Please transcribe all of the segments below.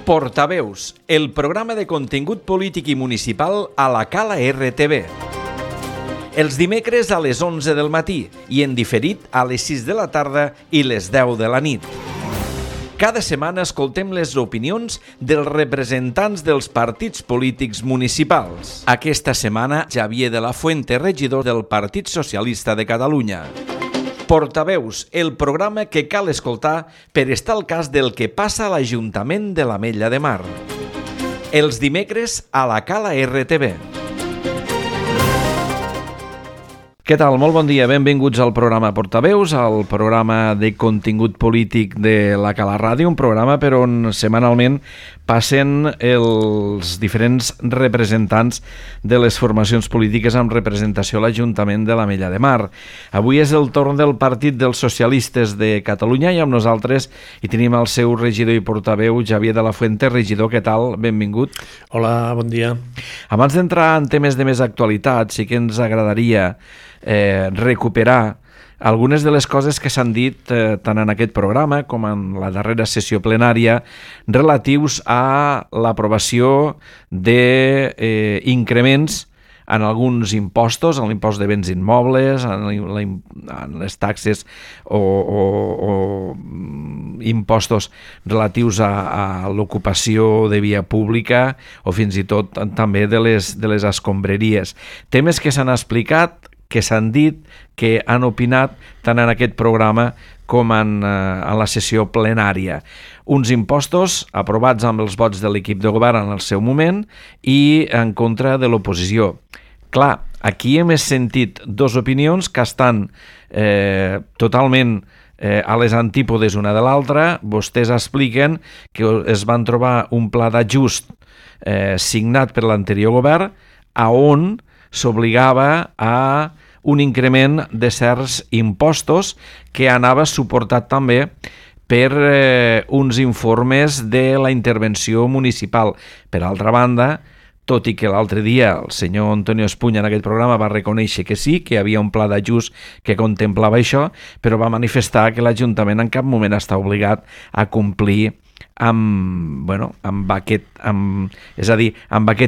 Portaveus, el programa de contingut polític i municipal a la Cala RTV. Els dimecres a les 11 del matí i en diferit a les 6 de la tarda i les 10 de la nit. Cada setmana escoltem les opinions dels representants dels partits polítics municipals. Aquesta setmana, Xavier de la Fuente, regidor del Partit Socialista de Catalunya. Portaveus, el programa que cal escoltar per estar al cas del que passa a l'Ajuntament de l'Ametlla de Mar. Els dimecres a la Cala RTV. Què tal? Molt bon dia. Benvinguts al programa Portaveus, al programa de contingut polític de la Cala Ràdio, un programa per on setmanalment passen els diferents representants de les formacions polítiques amb representació a l'Ajuntament de l'Ametlla de Mar. Avui és el torn del Partit dels Socialistes de Catalunya i amb nosaltres hi tenim el seu regidor i portaveu, Xavier de la Fuente. Regidor, què tal? Benvingut. Hola, bon dia. Abans d'entrar en temes de més actualitat, sí que ens agradaria recuperar algunes de les coses que s'han dit tant en aquest programa com en la darrera sessió plenària relatius a l'aprovació d'increments en alguns impostos, en l'impost de béns immobles, en les taxes o impostos relatius a l'ocupació de via pública o fins i tot també de les escombraries. Temes que s'han explicat, que s'han dit, que han opinat tant en aquest programa com en la sessió plenària. Uns impostos aprovats amb els vots de l'equip de govern en el seu moment i en contra de l'oposició. Clar, aquí hem sentit dues opinions que estan totalment a les antípodes una de l'altra. Vostès expliquen que es van trobar un pla d'ajust signat per l'anterior govern a on s'obligava a un increment de certs impostos que anava suportat també per uns informes de la intervenció municipal. Per altra banda, tot i que l'altre dia el senyor Antonio Espuña en aquest programa va reconèixer que sí, que hi havia un pla d'ajust que contemplava això, però va manifestar que l'Ajuntament en cap moment està obligat a complir amb aquest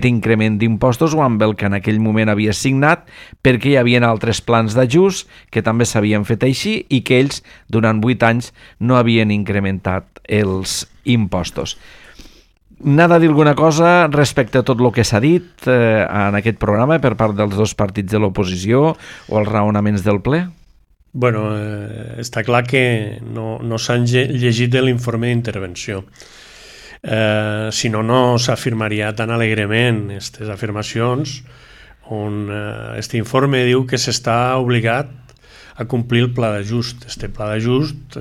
increment d'impostos o amb el que en aquell moment havia signat, perquè hi havia altres plans d'ajust que també s'havien fet així i que ells durant 8 anys no havien incrementat els impostos. N'ha de dir alguna cosa respecte a tot el que s'ha dit en aquest programa per part dels dos partits de l'oposició o els raonaments del ple? Bueno, està clar que no s'han llegit l'informe d'intervenció. Si no, no s'afirmaria tan alegrement aquestes afirmacions on aquest informe diu que s'està obligat a complir el pla d'ajust. Este pla d'ajust,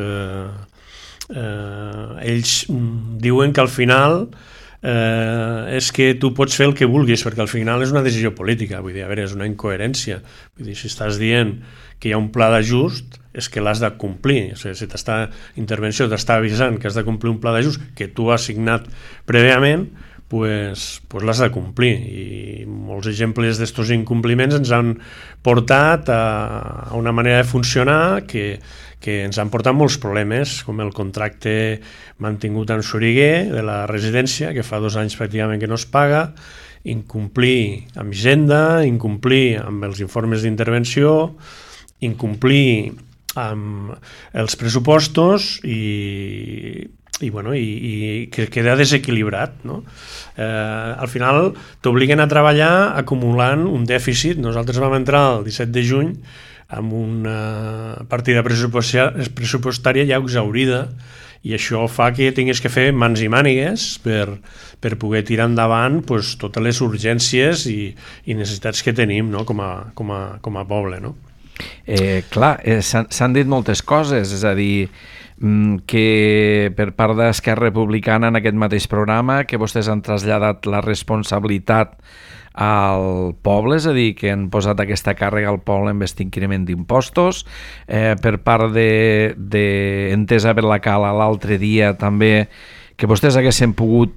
ells diuen que al final és que tu pots fer el que vulguis, perquè al final és una decisió política, vull dir, a veure, és una incoherència. Vull dir, si estàs dient que hi ha un pla d'ajust, és que l'has de complir. O sigui, si intervenció t'està avisant que has de complir un pla d'ajust que tu has signat prèviament, pues l'has de complir. I molts exemples d'estos incompliments ens han portat a una manera de funcionar que ens han portat molts problemes, com el contracte mantingut en Soriguer de la residència, que fa 2 anys pràcticament que no es paga, incomplir amb Hisenda, incomplir amb els informes d'intervenció, incomplir amb els pressupostos i que queda desequilibrat, no? Al final t'obliguen a treballar acumulant un dèficit. Nosaltres vam entrar el 17 de juny amb una partida pressupostària ja exhaurida i això fa que tinguis que fer mans i mànigues per poder tirar endavant totes les urgències i necessitats que tenim, no? com a poble, no? Clar, s'han dit moltes coses, és a dir, que per part d'Esquerra Republicana en aquest mateix programa que vostès han traslladat la responsabilitat al poble, és a dir, que han posat aquesta càrrega al poble amb aquest increment d'impostos. Per part d'Entesa per la Cala l'altre dia també que vostès haguessin pogut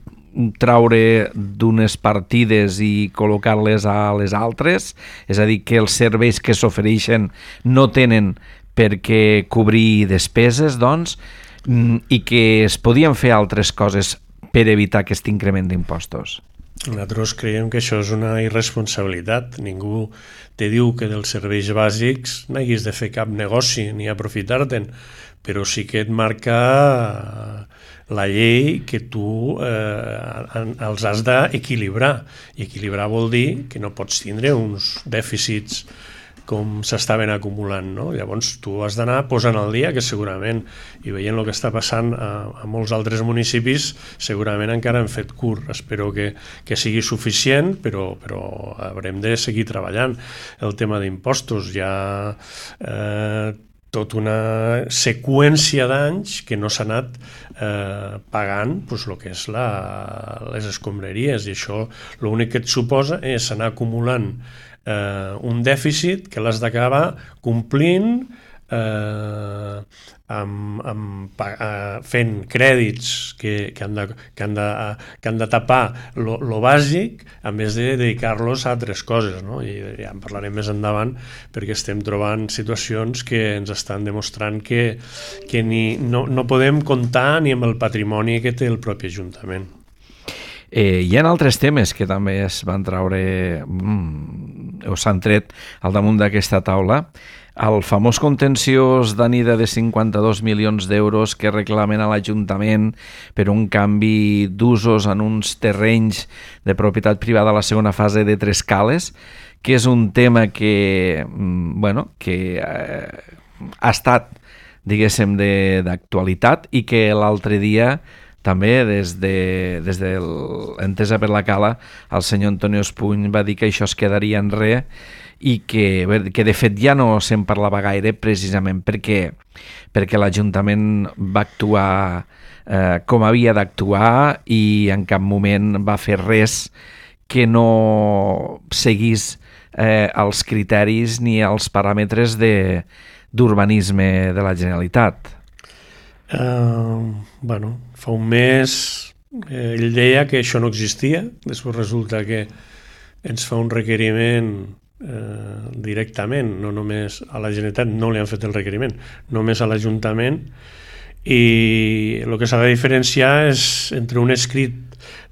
traure d'unes partides i col·locar-les a les altres, és a dir, que els serveis que s'ofereixen no tenen per què cobrir despeses, doncs, i que es podien fer altres coses per evitar aquest increment d'impostos? Nosaltres creiem que això és una irresponsabilitat. Ningú te diu que dels serveis bàsics n'haguis de fer cap negoci ni aprofitar-te'n, però sí que et marca la llei que tu els has d'equilibrar. I equilibrar vol dir que no pots tindre uns dèficits com s'estaven acumulant, no? Llavors tu has d'anar posant al dia, que segurament, i veient el que està passant a molts altres municipis, segurament encara hem fet curt. Espero que sigui suficient, però haurem de seguir treballant. El tema d'impostos, hi ha tota una seqüència d'anys que no s'ha anat pagant el que és les escombraries, i això l'únic que et suposa és anar acumulant un dèficit que l'has d'acabar complint fent crèdits que han de tapar lo bàsic en vez de dedicar-los a altres coses, no? I ja en parlarem més endavant, perquè estem trobant situacions que ens estan demostrant que no podem comptar ni amb el patrimoni que té el propi Ajuntament. Hi ha altres temes que també es van treure o s'han tret al damunt d'aquesta taula. El famós contenciós d'Anida de 52 milions d'euros que reclamen a l'Ajuntament per un canvi d'usos en uns terrenys de propietat privada a la segona fase de Tres Cales, que és un tema que ha estat, diguéssim, d'actualitat, i que l'altre dia també des de l'Entesa per la Cala el senyor Antonio Espuny va dir que això es quedaria en res, i que de fet ja no se'n parlava gaire, precisament perquè l'Ajuntament va actuar com havia d'actuar i en cap moment va fer res que no seguís els criteris ni els paràmetres d'urbanisme de la Generalitat. Fa un mes ell deia que això no existia, després resulta que ens fa un requeriment directament, no només a la Generalitat, no li han fet el requeriment, només a l'Ajuntament, i el que s'ha de diferenciar és entre un escrit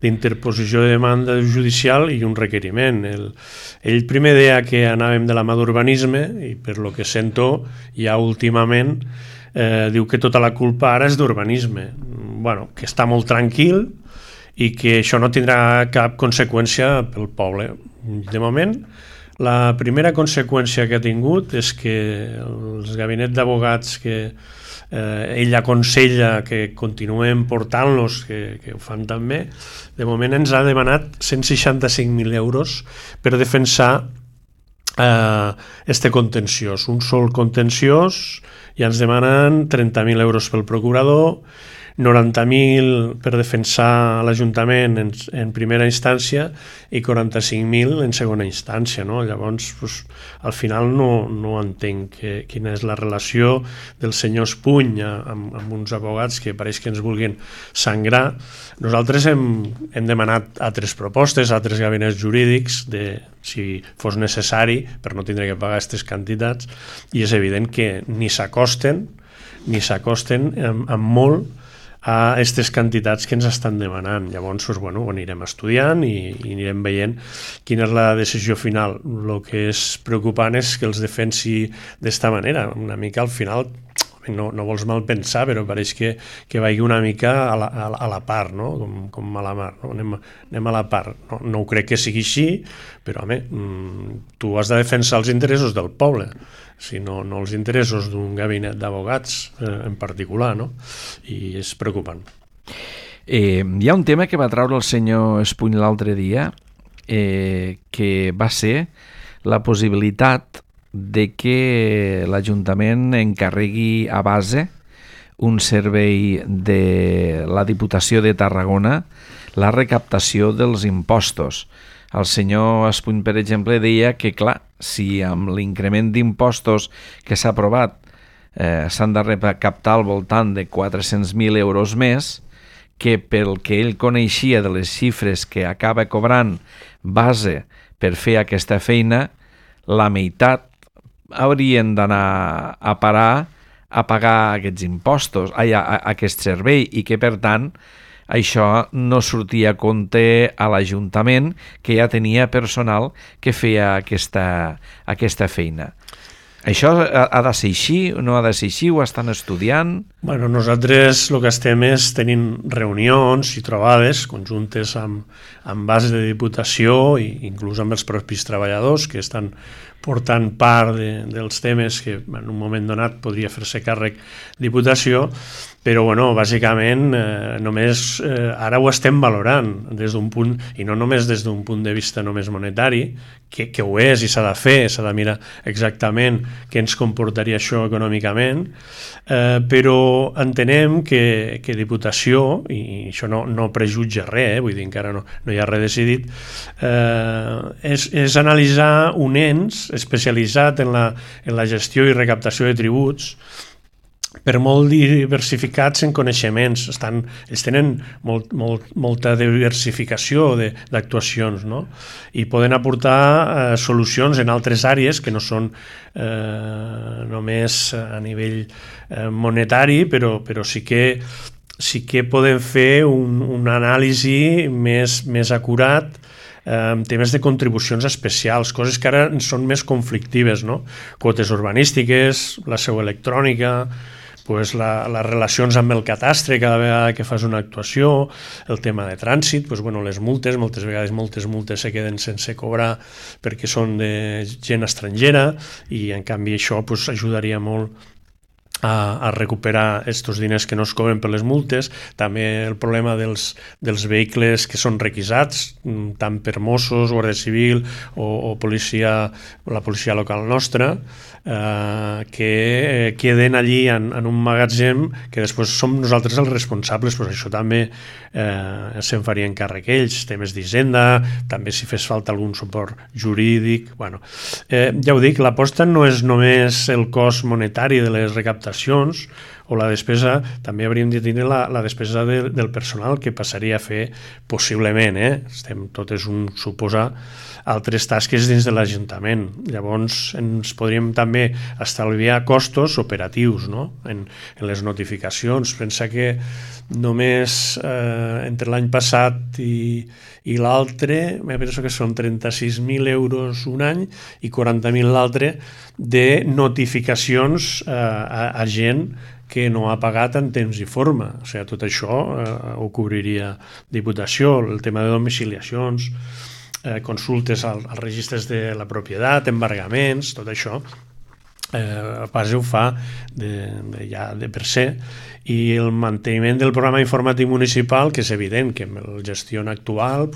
d'interposició de demanda judicial i un requeriment. Ell primer deia que anàvem de la mà d'urbanisme, i per lo que sento ja últimament diu que tota la culpa ara és d'urbanisme. Que està molt tranquil i que això no tindrà cap conseqüència pel poble. De moment, la primera conseqüència que ha tingut és que els gabinets d'advocats que ell aconsella que continuem portant-los, que ho fan també, de moment ens ha demanat 165.000 euros per defensar este contenciós. Un sol contenciós, ja ens demanen 30.000 euros pel procurador, 90.000 per defensar l'Ajuntament en primera instància i 45.000 en segona instància, no? Llavors, al final no entenc quina és la relació del senyor Espuny amb uns advocats que pareix que ens vulguin sangrar. Nosaltres hem demanat altres propostes, altres gabinets jurídics, si fos necessari, per no tindre que pagar aquestes quantitats, i és evident que ni s'acosten amb molt a aquestes quantitats que ens estan demanant. Llavors, ho anirem estudiant i anirem veient quina és la decisió final. El que és preocupant és que els defensi d'esta manera. Una mica al final, no vols mal pensar, però pareix que vagi una mica a la part, no? Com a la mar, no? Anem a la part. No ho crec que sigui així, però home, tu has de defensar els interessos del poble, sinó no els interessos d'un gabinet d'advocats en particular, no? I és preocupant. Hi ha un tema que va treure el senyor Espuny l'altre dia, que va ser la possibilitat de que l'Ajuntament encarregui a base un servei de la Diputació de Tarragona la recaptació dels impostos. El senyor Espuny, per exemple, deia que, clar, si amb l'increment d'impostos que s'ha aprovat s'han de recaptar al voltant de 400.000 euros més, que pel que ell coneixia de les xifres que acaba cobrant base per fer aquesta feina, la meitat haurien d'anar a parar a pagar aquests impostos, aquest servei, i que, per tant, això no sortia a compte a l'Ajuntament, que ja tenia personal que feia aquesta feina. Això ha de ser així, no ha de ser així, ho estan estudiant? Bueno, nosaltres el que estem és tenint reunions i trobades conjuntes amb base de Diputació i inclús amb els propis treballadors que estan portant part dels temes que en un moment donat podria fer-se càrrec Diputació, però bueno, bàsicament només ara ho estem valorant des d'un punt, i no només des d'un punt de vista només monetari, que ho és i s'ha de fer, s'ha de mirar exactament què ens comportaria això econòmicament, però entenem que Diputació, i això no prejutja res, vull dir, encara no hi ha res decidit, és analitzar un ens especialitzat en la gestió i recaptació de tributs, per molt diversificats en coneixements, ells tenen molta diversificació d'actuacions, no? I poden aportar solucions en altres àrees que no són només a nivell monetari, però sí que poden fer un anàlisi més acurat en temes de contribucions especials, coses que ara són més conflictives, no? Quotes urbanístiques, la seu electrònica, les relacions amb el catastre cada vegada que fas una actuació, el tema de trànsit, les multes, moltes vegades moltes multes se queden sense cobrar perquè són de gent estrangera i en canvi això ajudaria molt a recuperar aquests diners que no es cobren per les multes. També el problema dels vehicles que són requisats, tant per Mossos, Guàrdia Civil o la policia local nostra, que queden allí en un magatzem que després som nosaltres els responsables. Això també se'n farien càrrec ells, temes d'Hisenda, també si fes falta algun suport jurídic. Ja ho dic, l'aposta no és només el cost monetari de les recaptacions o la despesa, també hauríem de tenir la despesa del personal que passaria a fer possiblement, tot és un suposar, altres tasques dins de l'Ajuntament. Llavors ens podríem també estalviar costos operatius, no? En les notificacions. Pensa que només entre l'any passat i l'altre, penso que són 36.000 euros un any i 40.000 l'altre de notificacions a gent que no ha pagat en temps i forma. O sigui, tot això ho cobriria Diputació, el tema de domiciliacions, consultes als registres de la propietat, embargaments, tot això pas ho fa ja de per se, i el manteniment del programa informàtic municipal, que és evident que amb la gestió actual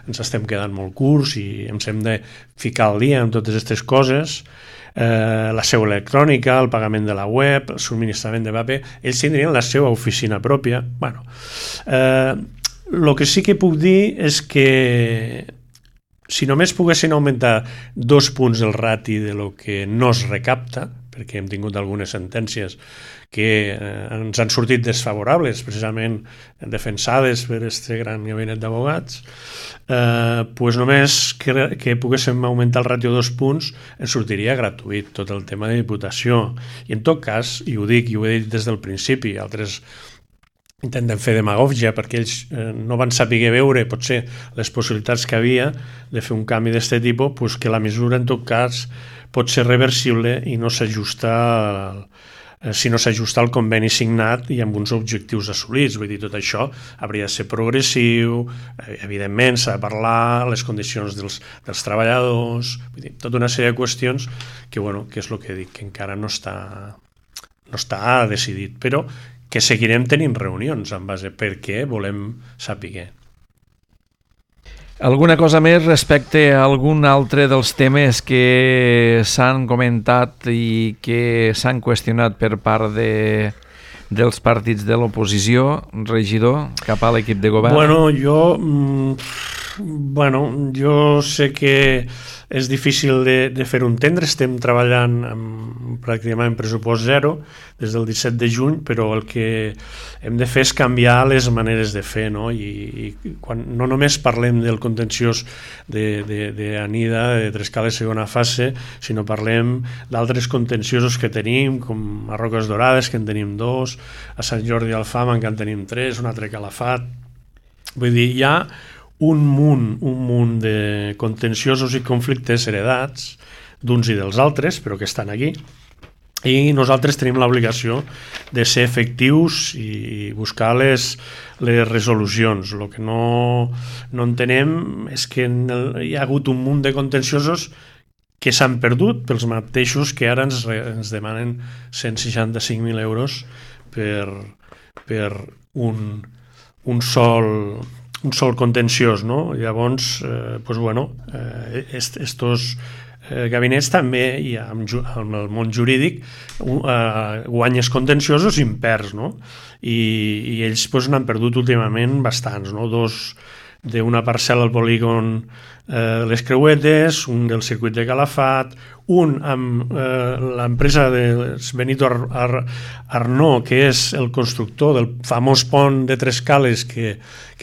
ens estem quedant molt curts i ens hem de ficar al dia amb totes aquestes coses, la seu electrònica, el pagament de la web, el subministrament de paper, ells tindrien la seva oficina pròpia. El que sí que puc dir és que si només poguessin augmentar 2 punts el rati de lo que no es recapta, perquè hem tingut algunes sentències que ens han sortit desfavorables, precisament defensades per aquest gran gabinet d'abogats, només que poguéssim augmentar el ràtio 2 punts ens sortiria gratuït tot el tema de Diputació. I en tot cas, i ho dic i ho he dit des del principi, altres intenten fer demagògia perquè ells no van saber veure potser les possibilitats que havia de fer un canvi d'aquest tipus, que la mesura en tot cas pot ser reversible i no s'ajusta al conveni signat i amb uns objectius assolits. Vull dir, tot això hauria de ser progressiu, evidentment s'ha de parlar, les condicions dels treballadors, vull dir, tota una sèrie de qüestions que és el que dic, que encara no està decidit, però que seguirem tenint reunions en base perquè volem saber. Alguna cosa més respecte a algun altre dels temes que s'han comentat i que s'han qüestionat per part dels partits de l'oposició, regidor, cap a l'equip de govern? Jo sé que és difícil de fer-ho entendre, estem treballant pràcticament en pressupost zero des del 17 de juny, però el que hem de fer és canviar les maneres de fer, no? I quan no només parlem del contenciós d'Anida, de Trescales segona fase, sinó parlem d'altres contenciosos que tenim, com a Roques Dorades, que en tenim 2, a Sant Jordi d'Alfama, que en tenim 3, un altre Calafat, Vull dir, hi ha un munt de contenciosos i conflictes heredats d'uns i dels altres, però que estan aquí, i nosaltres tenim l'obligació de ser efectius i buscar les resolucions. El que no entenem és que hi ha hagut un munt de contenciosos que s'han perdut pels mateixos que ara ens demanen 165.000 euros per un sol contenciós, no? Llavors, estos gabinets també hi ha amb el món jurídic guanyes contenciosos i imperds, no? I ells n'han perdut últimament bastants, no? Dos d'una parcel·la al polígon Les Creuetes, un del circuit de Calafat, un amb l'empresa de Benito Arnó, que és el constructor del famós pont de Tres Cales que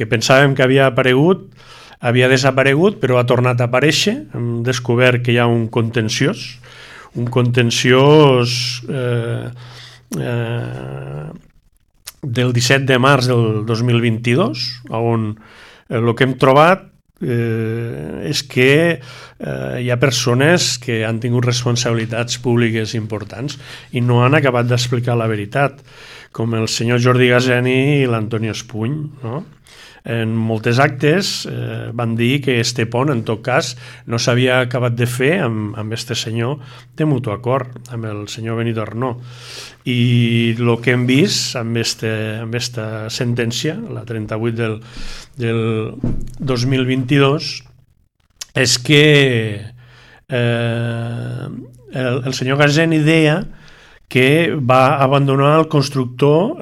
pensàvem que havia desaparegut, però ha tornat a aparèixer. Hem descobert que hi ha un contenciós del 17 de març del 2022, on el que hem trobat és que hi ha persones que han tingut responsabilitats públiques importants i no han acabat d'explicar la veritat, com el senyor Jordi Gazeni i l'Antonio Espuny, no? En moltes actes van dir que este pont, en tot cas, no s'havia acabat de fer amb este senyor de mutu acord, amb el senyor Benito Arnó. I el que hem vist amb esta sentència, la 38 del 2022, és que el senyor Gazeni deia que va abandonar el constructor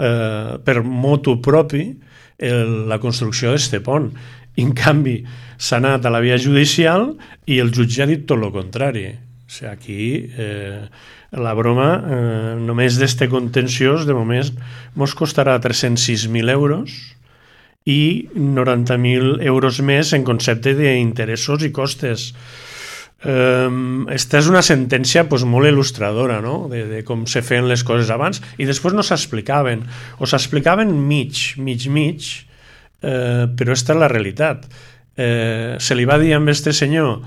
per motu propi la construcció d'este pont. En canvi, s'ha anat a la via judicial i el jutge ha dit tot el contrari. O sigui, aquí la broma només d'este contenciós de moment mos costarà 306.000 euros i 90.000 euros més en concepte d'interessos i costes. Esta és una sentència molt il·lustradora, no? de com se feien les coses abans, i després no s'explicaven, o s'explicaven mig, però esta és la realitat. Se li va dir a este senyor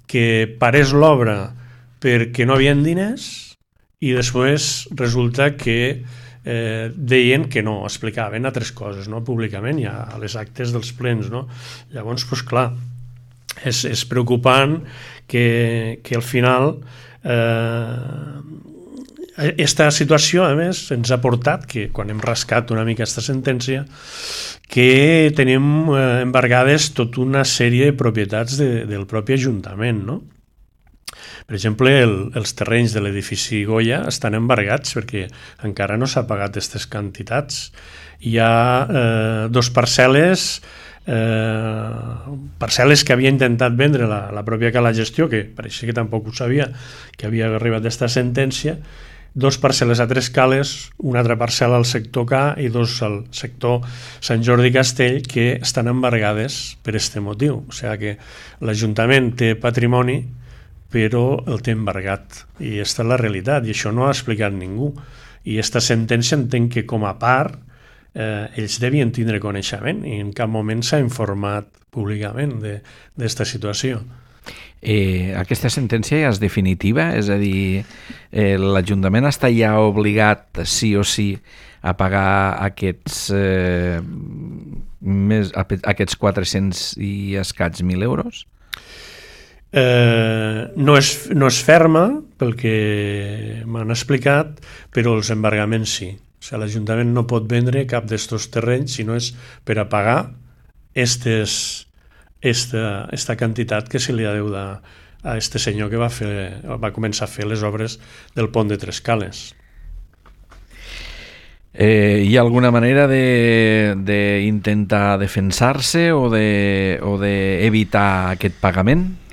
que parés l'obra perquè no havien diners, i després resulta que deien que no, explicaven altres coses, no? Públicament, ja a les actes dels plens, no? Llavors, clar, és preocupant que al final esta situació, a més, ens ha portat que, quan hem rascat una mica aquesta sentència, que tenim embargades tota una sèrie de propietats del propi Ajuntament, no? Per exemple, els terrenys de l'edifici Goya estan embargats perquè encara no s'ha pagat aquestes quantitats. Hi ha dos parcel·les que havia intentat vendre la pròpia Cala Gestió, que pareixia que tampoc ho sabia, que havia arribat aquesta sentència, dos parcel·les a Tres Cales, una altra parcel·la al sector K i dos al sector Sant Jordi Castell, que estan embargades per aquest motiu. O sigui que l'Ajuntament té patrimoni, però el té embargat, i aquesta és la realitat, i això no ho ha explicat ningú. I aquesta sentència entenc que com a part ells devien tindre coneixement i en cap moment s'ha informat públicament d'esta situació. Aquesta sentència ja és definitiva? És a dir, l'Ajuntament està ja obligat sí o sí a pagar aquests 400 i escaig 1.000 euros? No és ferma, pel que m'han explicat, però els embargaments sí. O sigui, l'Ajuntament no pot vendre cap d'estos terrenys si no és per a pagar esta quantitat que se li ha deu a este senyor que va començar a fer les obres del pont de Tres Cales. Hi ha alguna manera d'intentar defensar-se o d'evitar aquest pagament?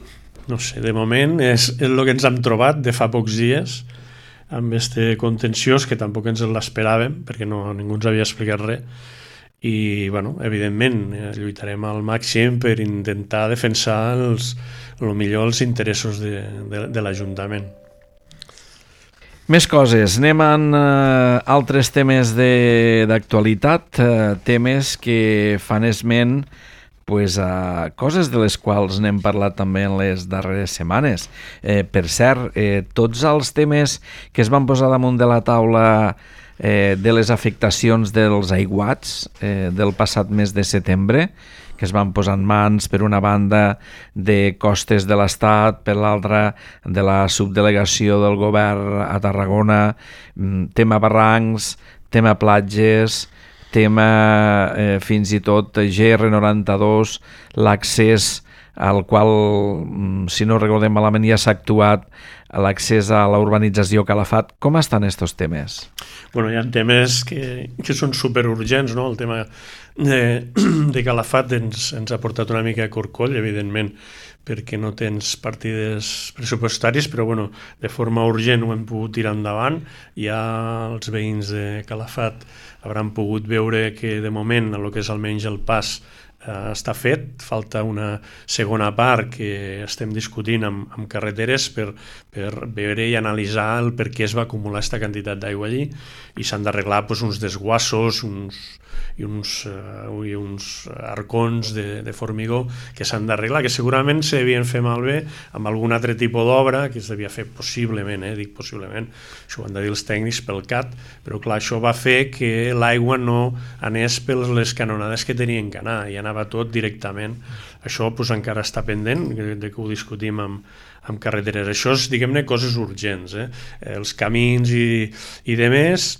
No sé, de moment és el que ens hem trobat de fa pocs dies amb este contenciós, que tampoc ens l'esperàvem perquè ningú ens havia explicat res, i evidentment lluitarem al màxim per intentar defensar millor els interessos de l'Ajuntament. Més coses, anem amb altres temes d'actualitat, temes que fan esment a coses de les quals n'hem parlat també en les darreres setmanes. Per cert, tots els temes que es van posar damunt de la taula de les afectacions dels aiguats del passat mes de setembre, que es van posar en mans, per una banda, de Costes de l'Estat, per l'altra, de la subdelegació del govern a Tarragona, tema barrancs, tema platges, tema fins i tot GR92, l'accés al qual, si no recordem malament, ja s'ha actuat l'accés a la urbanització Calafat. Com estan estos temes? Bueno, hi ha temes que són superurgents, no? El tema de Calafat ens ha portat una mica a corcoll, evidentment, perquè no tens partides pressupostàries, però bueno, de forma urgent ho hem pogut tirar endavant. Ja els veïns de Calafat hauran pogut veure que de moment el que és almenys el pas està fet, falta una segona part que estem discutint amb carreteres per veure i analitzar el per què es va acumular aquesta quantitat d'aigua allí, i s'han d'arreglar uns desguassos i uns arcons de formigó que s'han d'arreglar, que segurament se devien fer malbé amb algun altre tipus d'obra que es devia fer possiblement, dic possiblement, això ho han de dir els tècnics pel CAT, però clar, això va fer que l'aigua no anés per les canonades que tenien que anar, i anava tot directament. Això encara està pendent de que ho discutim amb carreteres. Això és, diguem-ne, coses urgents. Els camins i de més,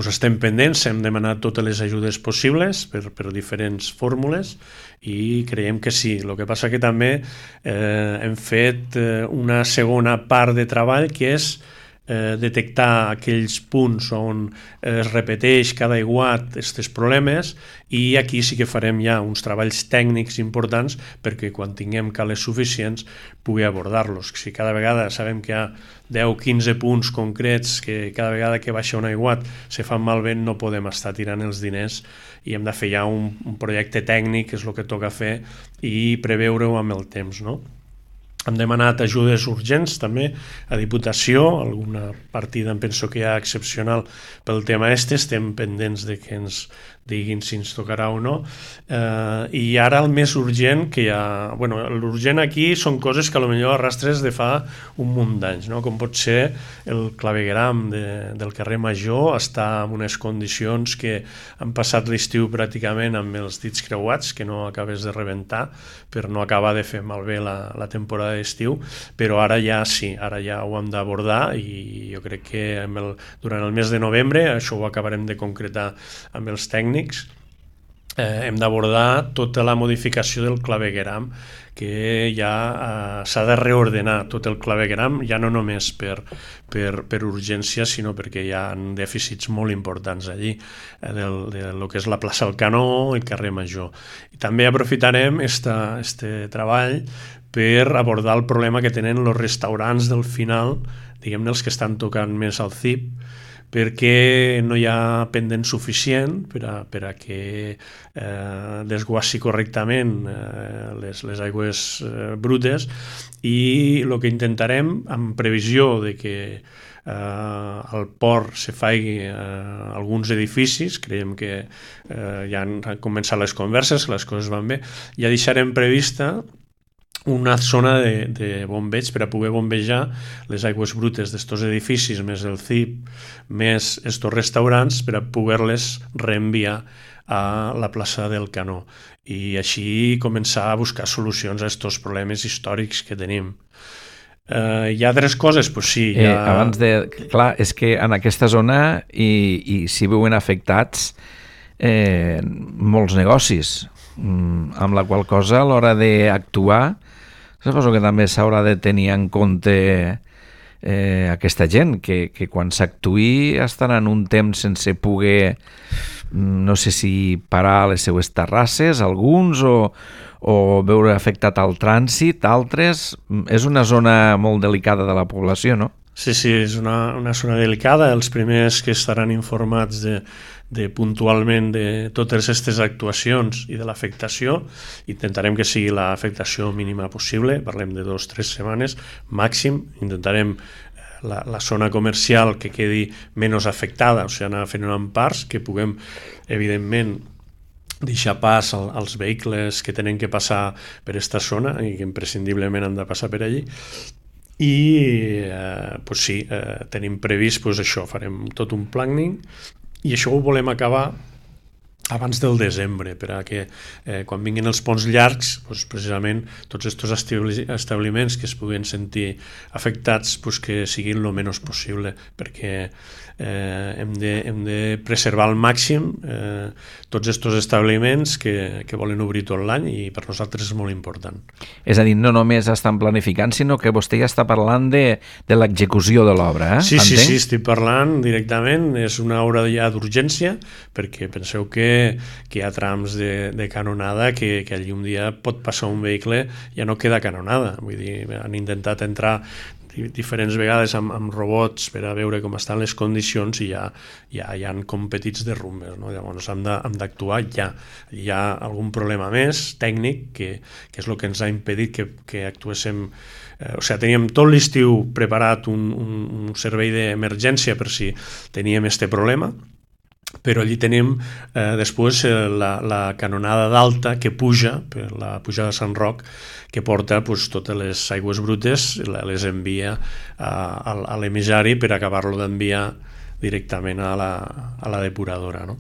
estem pendents, hem demanat totes les ajudes possibles per diferents fórmules i creiem que sí. El que passa que també hem fet una segona part de treball, que és detectar aquells punts on es repeteix cada aiguat aquests problemes, i aquí sí que farem ja uns treballs tècnics importants perquè quan tinguem cales suficients pugui abordar-los. Si cada vegada sabem que hi ha 10-15 punts concrets que cada vegada que baixa un aiguat se fan malbé, no podem estar tirant els diners, i hem de fer ja un projecte tècnic, que és el que toca fer, i preveure-ho amb el temps, no? Hem demanat ajudes urgents també a Diputació, alguna partida em penso que hi ha excepcional pel tema estem pendents de que ens diguin si ens tocarà o no, i ara el més urgent que hi ha, l'urgent aquí són coses que potser arrastres de fa un munt d'anys, no? Com pot ser el clavegueram del carrer Major, està en unes condicions que han passat l'estiu pràcticament amb els dits creuats, que no acabes de rebentar per no acabar de fer malbé la temporada d'estiu, però ara ja sí, ara ja ho hem d'abordar, i jo crec que durant el mes de novembre això ho acabarem de concretar amb els tècnics. Hem d'abordar tota la modificació del clavegueram, que ja s'ha de reordenar tot el clavegueram, ja no només per urgència, sinó perquè hi ha dèficits molt importants allí, del que és la plaça Alcanó i el carrer Major. I també aprofitarem este treball per abordar el problema que tenen els restaurants del final, diguem-ne els que estan tocant més al CIP, perquè no hi ha pendent suficient per a que desguassi correctament les aigües brutes, i el que intentarem, amb previsió de que al port se faci alguns edificis, creiem que ja han començat les converses, les coses van bé, ja deixarem prevista una zona de bombeig per a poder bombejar les aigües brutes d'estos edificis, més el CIP, més estos restaurants, per a poder-les reenviar a la plaça del Canó, i així començar a buscar solucions a estos problemes històrics que tenim. Hi ha altres coses? Pues sí. Clar, és que en aquesta zona i s'hi veuen afectats molts negocis, amb la qual cosa a l'hora d'actuar suposo que també s'haurà de tenir en compte aquesta gent, que quan s'actuï estaran un temps sense poder, no sé si parar les seues terrasses, alguns, o veure afectat el trànsit, altres. És una zona molt delicada de la població, no? Sí, és una zona delicada. Els primers que estaran informats puntualment de totes aquestes actuacions i de l'afectació, intentarem que sigui l'afectació mínima possible, parlem de 2 o 3 setmanes màxim, intentarem la zona comercial que quedi menys afectada, o sigui, anar fent en parts, que puguem, evidentment, deixar pas als vehicles que tenen que passar per aquesta zona i que imprescindiblement han de passar per allí. I pues sí, tenim previst pues això, farem tot un planning i això ho volem acabar abans del desembre, perquè quan vinguin els ponts llargs, pues, precisament tots aquests establiments que es puguin sentir afectats pues, que siguin el menys possible, perquè hem de preservar al màxim tots aquests establiments que volen obrir tot l'any i per nosaltres és molt important. És a dir, no només estan planificant, sinó que vostè ja està parlant de l'execució de l'obra, Sí, estic parlant directament, és una obra ja d'urgència, perquè penseu que hi ha trams de canonada que allí un dia pot passar un vehicle i ja no queda canonada, vull dir, han intentat entrar diferents vegades amb robots per a veure com estan les condicions i ja hi ha com petits derrumbes, no? Llavors hem d'actuar ja. Hi ha algun problema més tècnic que és el que ens ha impedit que actuéssim. O sigui, teníem tot l'estiu preparat un servei d'emergència per si teníem este problema, però allí tenim després la canonada d'alta que puja per la pujada de Sant Roc, que porta pues, totes les aigües brutes, les envia a l'emissari per acabar-lo d'enviar directament a la depuradora, no?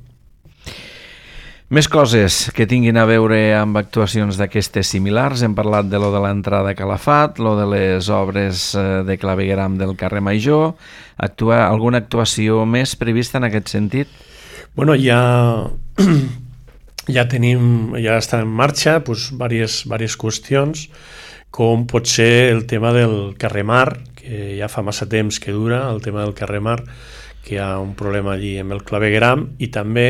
Més coses que tinguin a veure amb actuacions d'aquestes similars. Hem parlat de lo de l'entrada a Calafat, lo de les obres de clavegueram del carrer Major. Alguna actuació més prevista en aquest sentit? Bueno, ja està en marxa diverses qüestions, com pot ser el tema del carrer Mar, que ja fa massa temps que dura, el tema del carrer Mar, que hi ha un problema allí amb el clavegueram, i també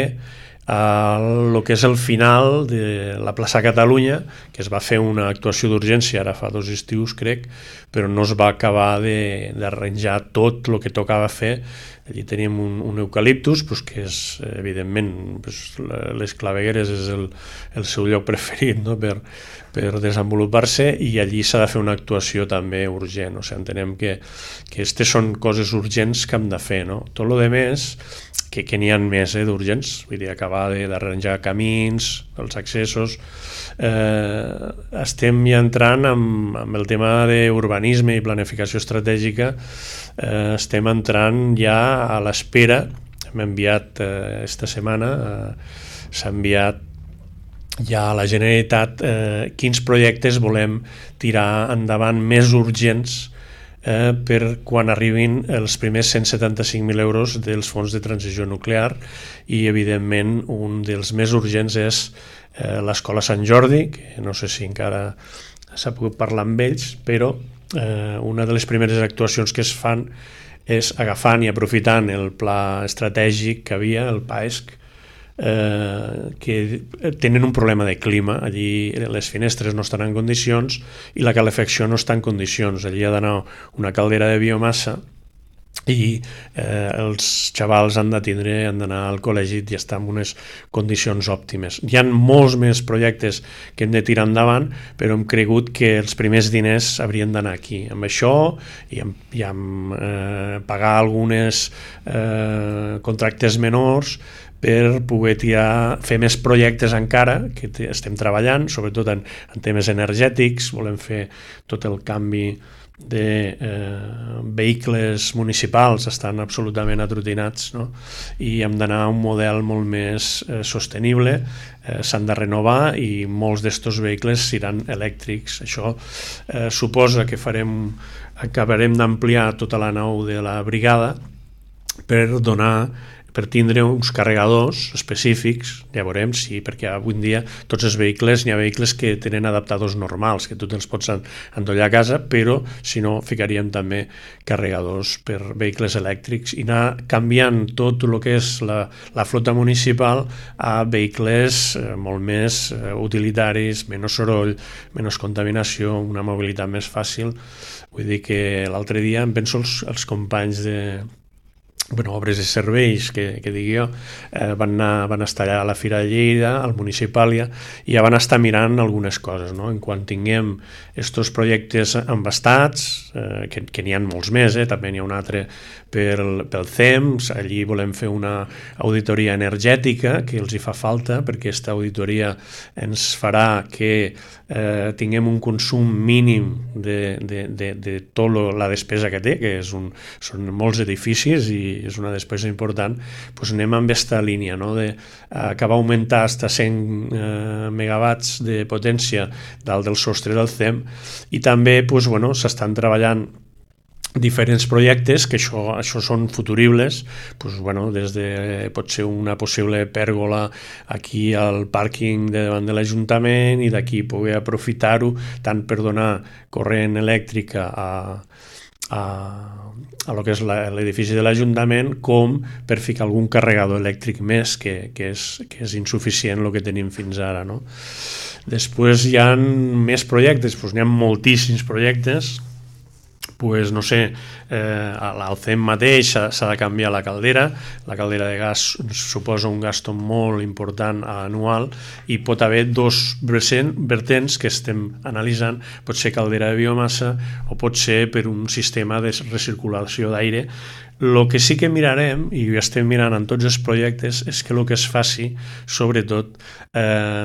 el que és el final de la plaça Catalunya, que es va fer una actuació d'urgència ara fa 2 estius, crec, però no es va acabar d'arranjar tot el que tocava fer. Allí teníem un eucaliptus, que és, evidentment, les clavegueres és el seu lloc preferit, no? per desenvolupar-se, i allí s'ha de fer una actuació també urgent. O sigui, entenem que aquestes són coses urgents que hem de fer, no? Tot el que més, que n'hi ha més d'urgents, vull dir, acabar d'arranjar camins, els accessos. Estem ja entrant amb el tema d'urbanisme i planificació estratègica, estem entrant ja a l'espera. Hem enviat esta setmana, s'ha enviat ja a la Generalitat quins projectes volem tirar endavant més urgents per quan arribin els primers 175.000 euros dels fons de transició nuclear, i evidentment un dels més urgents és l'Escola Sant Jordi, que no sé si encara s'ha pogut parlar amb ells, però una de les primeres actuacions que es fan és agafant i aprofitant el pla estratègic que havia, el PAESC, que tenen un problema de clima. Allí les finestres no estan en condicions i la calefacció no està en condicions. Allí ha d'anar una caldera de biomassa i els xavals han d'anar al col·legi i estar en unes condicions òptimes. Hi ha molts més projectes que hem de tirar endavant, però hem cregut que els primers diners haurien d'anar aquí, amb això i amb pagar algunes contractes menors per poder fer més projectes encara, que estem treballant, sobretot en temes energètics. Volem fer tot el canvi de vehicles municipals, estan absolutament atrotinats, no? I hem d'anar a un model molt més sostenible, s'han de renovar i molts d'estos vehicles seran elèctrics. Això suposa que acabarem d'ampliar tota la nau de la brigada per tindre uns carregadors específics. Ja veurem si, perquè avui en dia tots els vehicles, n'hi ha vehicles que tenen adaptadors normals, que tu te'ls pots endollar a casa, però si no ficaríem també carregadors per vehicles elèctrics i anar canviant tot el que és la flota municipal a vehicles molt més utilitaris, menys soroll, menys contaminació, una mobilitat més fàcil. Vull dir que l'altre dia em penso els companys obres i serveis, que digui jo, van estar allà a la Fira de Lleida, al Municipàlia, i ja van estar mirant algunes coses, no? En quan tinguem estos projectes embastats, que n'hi ha molts més, també n'hi ha un altre pel CEMS, allí volem fer una auditoria energètica que els hi fa falta, perquè aquesta auditoria ens farà que tinguem un consum mínim de tota la despesa que té, que són molts edificis i és una despesa important. Doncs anem amb aquesta línia, no? Que va augmentar fins a 100 megawatts de potència dalt del sostre del CEM, i també s'estan treballant diferents projectes, que això són futuribles, des de potser una possible pèrgola aquí al pàrquing de davant de l'Ajuntament, i d'aquí poder aprofitar-ho tant per donar corrent elèctrica a lo que és l'edifici de l'Ajuntament, com per ficar algun carregador elèctric més, que és insuficient el que tenim fins ara, no? Després hi ha més projectes, n'hi ha moltíssims projectes. No sé, al CEM mateix s'ha de canviar la caldera de gas suposa un gasto molt important anual, i pot haver dos vertents que estem analitzant, pot ser caldera de biomassa o pot ser per un sistema de recirculació d'aire. El que sí que mirarem, i ho estem mirant en tots els projectes, és que el que es faci, sobretot,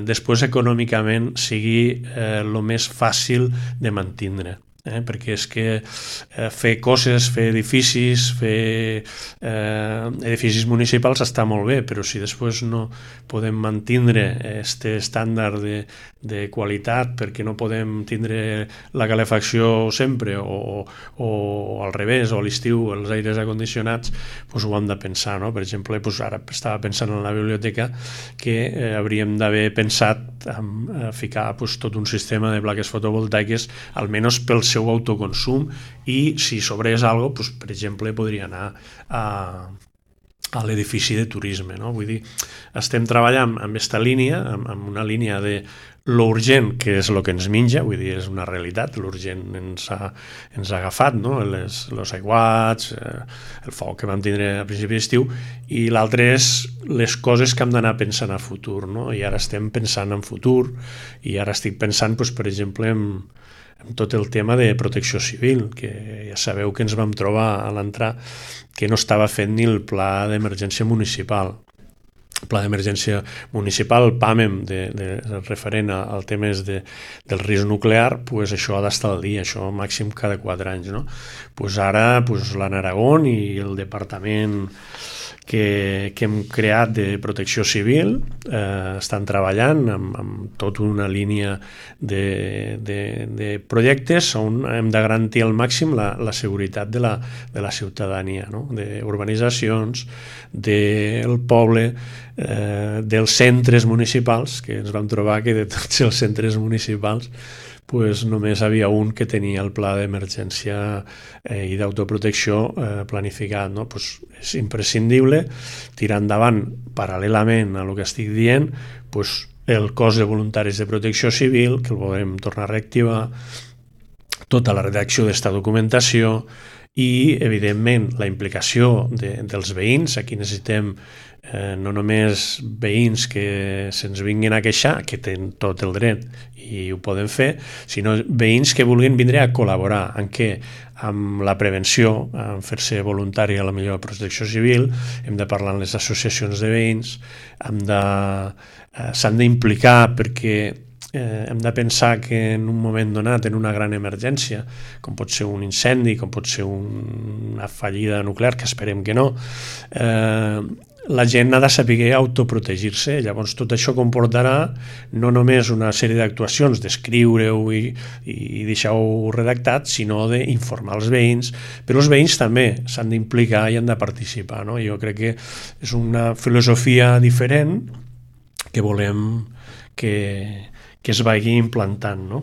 després econòmicament sigui el més fàcil de mantindre. Perquè és que fer coses, fer edificis municipals està molt bé, però si després no podem mantindre aquest estàndard de qualitat, perquè no podem tindre la calefacció sempre, o al revés, o a l'estiu els aires acondicionats, ho hem de pensar, no? Per exemple, ara estava pensant en la biblioteca que hauríem d'haver pensat en ficar tot un sistema de plaques fotovoltaiques, almenys pel seu autoconsum, i si sobrés alguna cosa, per exemple, podria anar a l'edifici de turisme, no? Vull dir, estem treballant amb aquesta línia, amb una línia de l'urgent, que és el que ens menja, vull dir, és una realitat, l'urgent ens ha agafat, no? Els aiguats, el foc que vam tindre a principi d'estiu, i l'altre és les coses que hem d'anar pensant a futur, no? I ara estem pensant en futur, i ara estic pensant, per exemple, en tot el tema de protecció civil, que ja sabeu que ens vam trobar a l'entrar que no estava fent ni el pla d'emergència municipal. El pla d'emergència municipal, el PAMEM, referent al tema del risc nuclear, això ha d'estar al dia, això màxim cada 4 anys, no? Ara l'Anna Aragón i el departament que hem creat de protecció civil estan treballant amb tota una línia de projectes on hem de garantir al màxim la seguretat de la ciutadania, no? D'urbanitzacions, del poble, dels centres municipals, que ens vam trobar que de tots els centres municipals només havia un que tenia el pla d'emergència i d'autoprotecció planificat, no? És imprescindible tirar endavant, paral·lelament a el que estic dient, el cos de voluntaris de protecció civil, que el volem tornar a reactivar, tota la redacció d'esta documentació i, evidentment, la implicació dels veïns. Aquí necessitem no només veïns que se'ns vinguin a queixar, que tenen tot el dret i ho poden fer, sinó veïns que vulguin vindre a col·laborar. En què? Amb la prevenció, en fer-se voluntari a la millor protecció civil, hem de parlar amb les associacions de veïns, s'han d'implicar perquè hem de pensar que en un moment donat, en una gran emergència, com pot ser un incendi, com pot ser una fallida nuclear, que esperem que no, la gent ha de saber autoprotegir-se. Llavors tot això comportarà no només una sèrie d'actuacions d'escriure-ho i deixar-ho redactat, sinó d'informar els veïns, però els veïns també s'han d'implicar i han de participar, no? Jo crec que és una filosofia diferent que volem que es vagi implantant, no?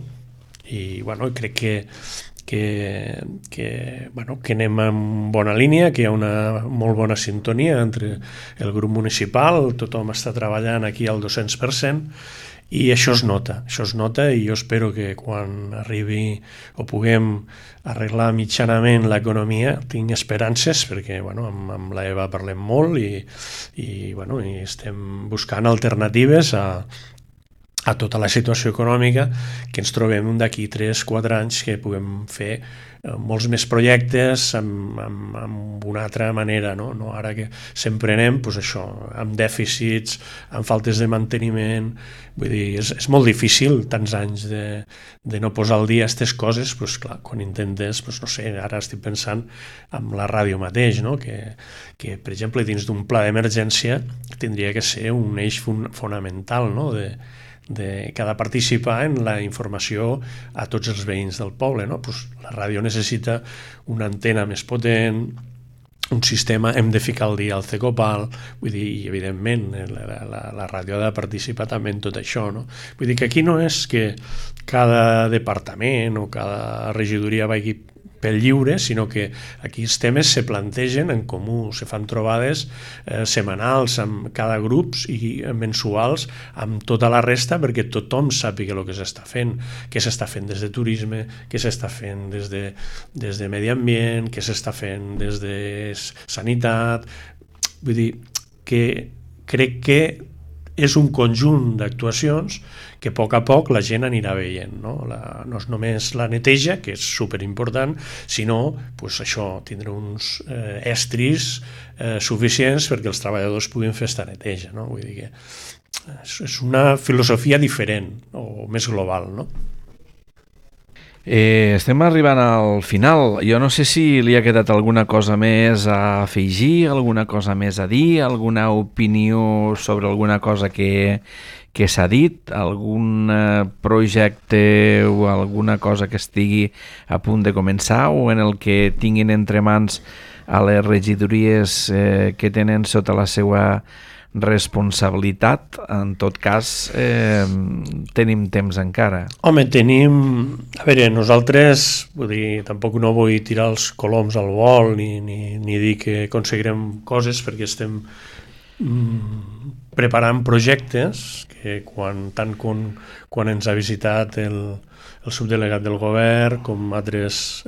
I crec que anem en bona línia, que hi ha una molt bona sintonia entre el grup municipal, tothom està treballant aquí al 200%, I això es nota i jo espero que quan arribi o puguem arreglar mitjanament l'economia tinc esperances perquè amb l'Eva parlem molt i estem buscant alternatives a tota la situació econòmica que ens trobem d'aquí 3-4 anys que puguem fer molts més projectes amb una altra manera, no ara que sempre anem això, amb dèficits, amb faltes de manteniment, vull dir, és molt difícil tants anys de no posar al dia aquestes coses, clar, quan intentes, no sé, ara estic pensant en la ràdio mateix, no? que per exemple dins d'un pla d'emergència tindria que ser un eix fonamental, no? de cada participar en la informació a tots els veïns del poble, no? La ràdio necessita una antena més potent, un sistema, hem de ficar al dia el CECOPAL, vull dir, i evidentment la ràdio ha de participar també en tot això, no? Vull dir que aquí no és que cada departament o cada regidoria vagi pel lliure, sinó que aquí els temes se plantegen en comú, se fan trobades setmanals amb cada grup i mensuals amb tota la resta perquè tothom sàpiga el que s'està fent, què s'està fent des de turisme, què s'està fent des de medi ambient, què s'està fent des de sanitat. Vull dir que crec que és un conjunt d'actuacions que a poc la gent anirà veient, no? No és només la neteja, que és superimportant, sinó això, tindre uns estris suficients perquè els treballadors puguin fer esta neteja, no? Vull dir que és una filosofia diferent o més global, no? Estem arribant al final. Jo no sé si li ha quedat alguna cosa més a afegir, alguna cosa més a dir, alguna opinió sobre alguna cosa que s'ha dit, algun projecte o alguna cosa que estigui a punt de començar o en el que tinguin entre mans a les regidories que tenen sota la seva responsabilitat. En tot cas, tenim temps encara. Home, tenim... A veure, nosaltres, vull dir, tampoc no vull tirar els coloms al vol ni dir que aconseguirem coses perquè estem preparant projectes que quan ens ha visitat el subdelegat del govern, com altres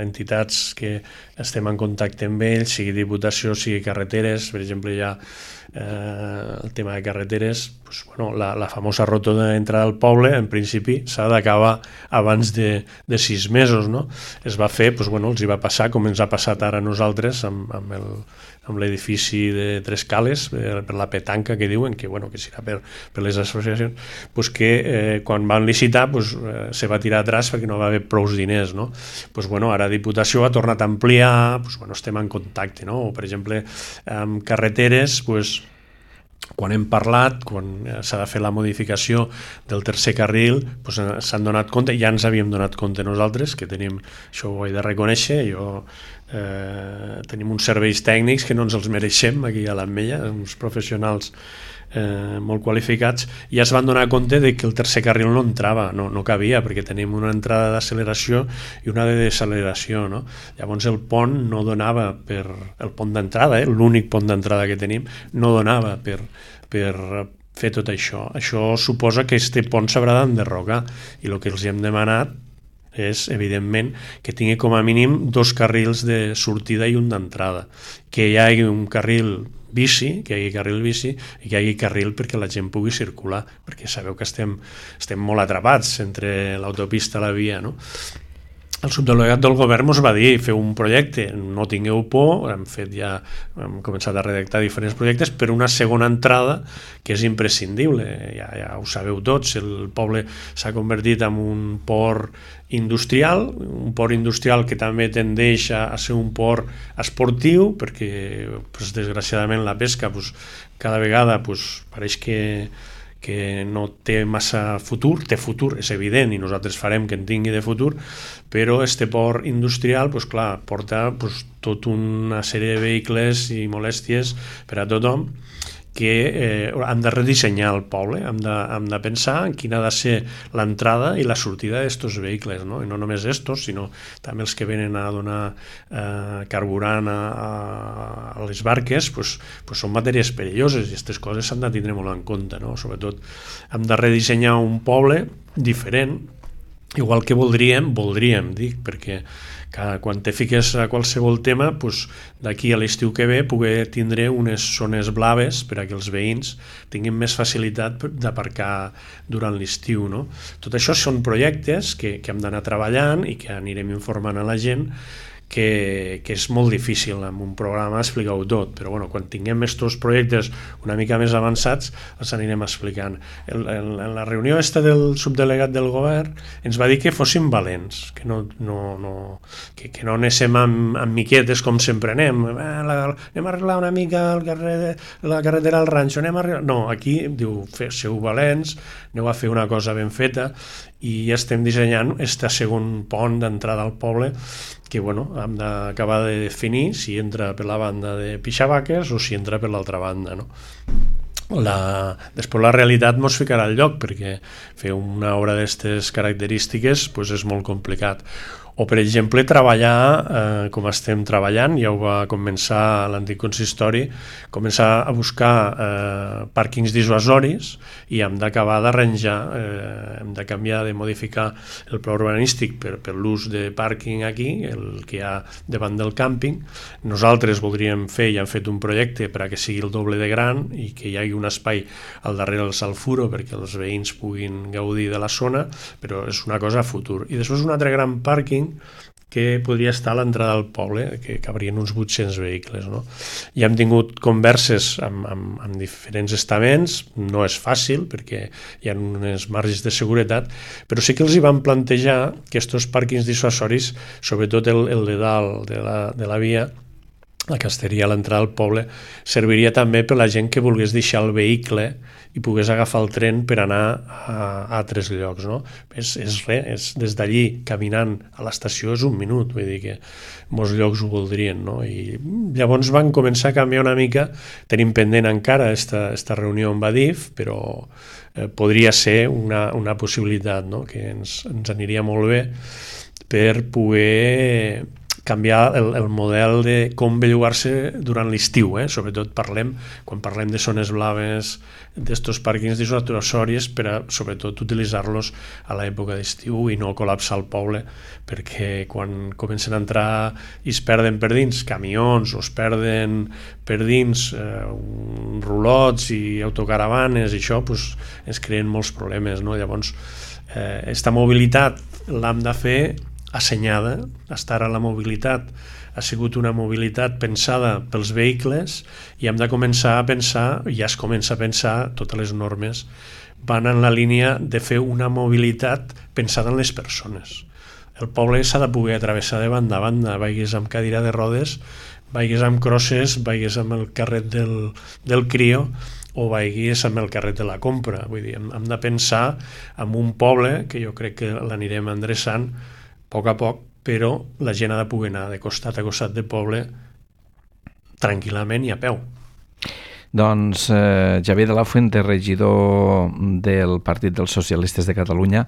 entitats que estem en contacte amb ells, sigui Diputació, sigui carreteres, per exemple, hi ha el tema de carreteres, la famosa rotonda d'entrada al poble, en principi s'ha d'acabar abans de 6 mesos, no? Es va fer, els hi va passar, com ens ha passat ara a nosaltres, amb l'edifici de Tres Cales, per la petanca que diuen, que serà per les associacions, que quan van licitar se va tirar atrás perquè no va haver prou diners, no? Ara Diputació ha tornat a ampliar, estem en contacte, no? O, per exemple, amb carreteres, quan hem parlat, quan s'ha de fer la modificació del tercer carril, s'han donat compte, ja ens havíem donat compte nosaltres, que tenim, això ho he de reconèixer, tenim uns serveis tècnics que no ens els mereixem aquí a l'Ametlla, uns professionals molt qualificats, i ja es van donar compte de que el tercer carril no entrava, no cabia, perquè tenim una entrada d'acceleració i una de deceleració, no? Llavors el pont no donava per... El pont d'entrada, l'únic pont d'entrada que tenim, no donava per fer tot això. Això suposa que este pont s'haurà d'enderrocar, i el que els hem demanat és, evidentment, que tingui com a mínim 2 carrils de sortida i un d'entrada, que hi hagi un carril bici, que hi hagi carril bici i que hi hagi carril perquè la gent pugui circular, perquè sabeu que estem molt atrapats entre l'autopista i la via, no? El subdelegat del govern ens va dir, feu un projecte, no tingueu por, hem començat a redactar diferents projectes, per una segona entrada que és imprescindible, ja ho sabeu tots, el poble s'ha convertit en un port industrial que també tendeix a ser un port esportiu, perquè desgraciadament la pesca cada vegada pareix que no té massa futur, té futur, és evident, i nosaltres farem que en tingui de futur, però este port industrial, porta tota una sèrie de vehicles i molèsties per a tothom, que hem de redissenyar el poble, hem de pensar en quina ha de ser l'entrada i la sortida d'estos vehicles, no? I no només estos, sinó també els que venen a donar carburant a les barques, pues són matèries perilloses i aquestes coses s'han de tindre molt en compte, no? Sobretot hem de redissenyar un poble diferent, igual que voldríem, dic, perquè quan te fiques a qualsevol tema, d'aquí a l'estiu que ve poder tindre unes zones blaves per a que els veïns tinguin més facilitat d'aparcar durant l'estiu, no? Tot això són projectes que hem d'anar treballant i que anirem informant a la gent, que és molt difícil amb un programa explicar-ho tot, però bueno, quan tinguem aquests projectes una mica més avançats els anirem explicant. En la reunió del subdelegat del govern ens va dir que fóssim valents, que no anéssim amb miquetes com sempre anem a arreglar una mica la carretera al ranxo, no, aquí diu, sou valents, aneu a fer una cosa ben feta, i estem dissenyant este segon pont d'entrada al poble que hem d'acabar de definir si entra per la banda de Pixavaques o si entra per l'altra banda, no? Després la realitat mos ficarà al lloc, perquè fer una obra d'aquestes característiques és molt complicat. O, per exemple, treballar com estem treballant, ja ho va començar l'antic consistori, començar a buscar pàrquings dissuasoris i hem d'acabar d'arranjar, hem de canviar, de modificar el pla urbanístic per l'ús de pàrquing aquí, el que hi ha davant del càmping. Nosaltres voldríem fer i hem fet un projecte per a que sigui el doble de gran i que hi hagi un espai al darrere del Salfuro perquè els veïns puguin gaudir de la zona, però és una cosa a futur. I després un altre gran pàrquing que podria estar a l'entrada del poble, que cabrien uns 800 vehicles, no? I hem tingut converses amb diferents estaments, no és fàcil perquè hi ha unes marges de seguretat, però sí que els hi van plantejar que aquests pàrquings dissuasoris, sobretot el de dalt de la via, la que estaria a l'entrada del poble, serviria també per la gent que volgués deixar el vehicle i pogués agafar el tren per anar a altres llocs, no? És res, des d'allí, caminant a l'estació, és un minut, vull dir que molts llocs ho voldrien, no? I llavors van començar a canviar una mica, tenim pendent encara esta reunió amb Adif, però podria ser una possibilitat, no? Que ens aniria molt bé per poder canviar el model de com bellugar-se durant l'estiu, sobretot quan parlem de zones blaves, d'estos pàrquings dissuasoris, per a sobretot utilitzar-los a l'època d'estiu i no col·lapsar el poble, perquè quan comencen a entrar i es perden per dins camions o es perden per dins rulots i autocaravanes i això, ens creen molts problemes, no? Llavors, aquesta mobilitat l'hem de fer assenyada. Estar a la mobilitat ha sigut una mobilitat pensada pels vehicles i hem de començar a pensar, ja es comença a pensar, totes les normes van en la línia de fer una mobilitat pensada en les persones. El poble s'ha de poder atravessar de banda a banda, vagis amb cadira de rodes, vagis amb crosses, vagis amb el carret del crio o vagis amb el carret de la compra. Vull dir, hem de pensar en un poble que jo crec que l'anirem endreçant a poc, però la gent ha de poder anar de costat a costat del poble tranquil·lament i a peu. Doncs Xavier de la Fuente, regidor del Partit dels Socialistes de Catalunya,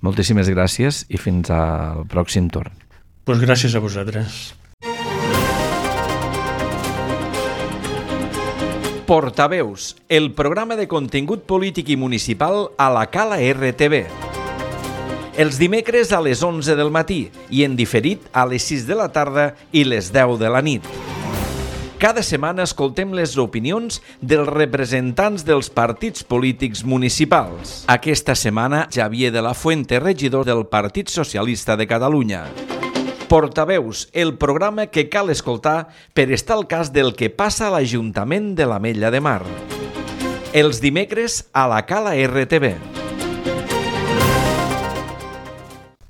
moltíssimes gràcies i fins al pròxim torn. Doncs gràcies a vosaltres. Portaveus, el programa de contingut polític i municipal a la Cala RTV. Els dimecres a les 11 del matí i en diferit a les 6 de la tarda i les 10 de la nit. Cada setmana escoltem les opinions dels representants dels partits polítics municipals. Aquesta setmana, Xavier de la Fuente, regidor del Partit Socialista de Catalunya. Portaveus, el programa que cal escoltar per estar al cas del que passa a l'Ajuntament de l'Ametlla de Mar. Els dimecres a la Cala RTV.